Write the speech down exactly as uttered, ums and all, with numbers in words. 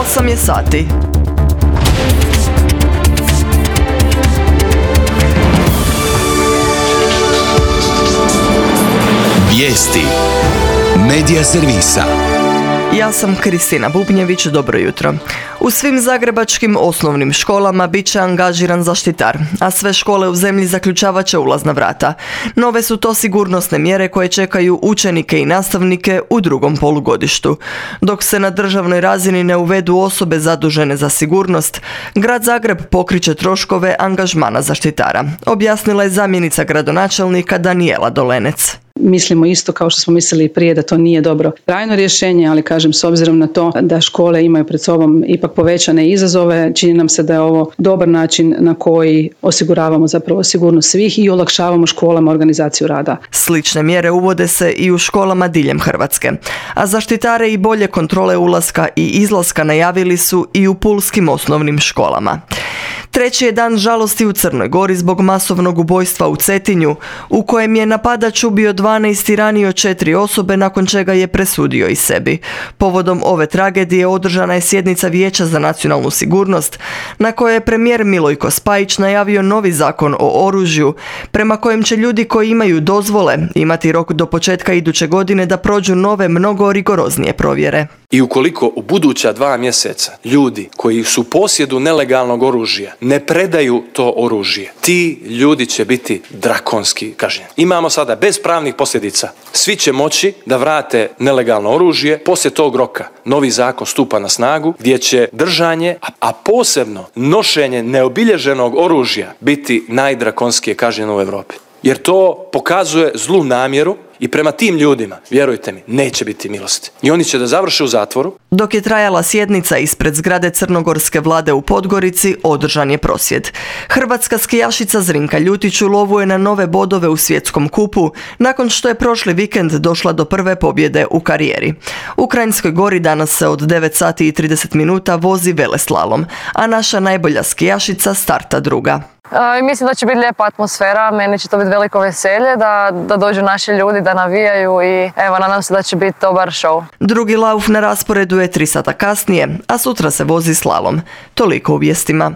osam je sati. Vijesti Medija servisa. Ja sam Kristina Bubnjević, dobro jutro. U svim zagrebačkim osnovnim školama bit će angažiran zaštitar, a sve škole u zemlji zaključavat će ulazna vrata. Nove su to sigurnosne mjere koje čekaju učenike i nastavnike u drugom polugodištu. Dok se na državnoj razini ne uvedu osobe zadužene za sigurnost, Grad Zagreb pokriće troškove angažmana zaštitara, objasnila je zamjenica gradonačelnika Danijela Dolenec. Mislimo isto kao što smo mislili i prije da to nije dobro trajno rješenje, ali kažem s obzirom na to da škole imaju pred sobom ipak povećane izazove, čini nam se da je ovo dobar način na koji osiguravamo zapravo sigurnost svih i olakšavamo školama organizaciju rada. Slične mjere uvode se i u školama diljem Hrvatske, a zaštitare i bolje kontrole ulaska i izlaska najavili su i u pulskim osnovnim školama. Treći je dan žalosti u Crnoj Gori zbog masovnog ubojstva u Cetinju, u kojem je napadač ubio dvanaest i ranio četiri osobe, nakon čega je presudio i sebi. Povodom ove tragedije održana je sjednica Vijeća za nacionalnu sigurnost, na kojoj je premijer Milojko Spajić najavio novi zakon o oružju, prema kojem će ljudi koji imaju dozvole imati rok do početka iduće godine da prođu nove, mnogo rigoroznije provjere. I ukoliko u buduća dva mjeseca ljudi koji su u posjedu nelegalnog oružja ne predaju to oružje, ti ljudi će biti drakonski kažnjeni. Imamo sada bez pravnih posljedica. Svi će moći da vrate nelegalno oružje. Poslije tog roka novi zakon stupa na snagu gdje će držanje, a posebno nošenje neobilježenog oružja biti najdrakonskije kažnjeno u Europi. Jer to pokazuje zlu namjeru i prema tim ljudima, vjerujte mi, neće biti milosti. I oni će da završe u zatvoru. Dok je trajala sjednica ispred zgrade crnogorske vlade u Podgorici, održan je prosvjed. Hrvatska skijašica Zrinka Ljutić u lovu je na nove bodove u svjetskom kupu, nakon što je prošli vikend došla do prve pobjede u karijeri. U Kranjskoj Gori danas se od devet sati i trideset minuta vozi veleslalom, a naša najbolja skijašica starta druga. I mislim da će biti lijepa atmosfera, meni će to biti veliko veselje da, da dođu naši ljudi, da navijaju i evo, nadam se da će biti dobar show. Drugi lauf na rasporedu je tri sata kasnije, a sutra se vozi slalom. Toliko u vijestima.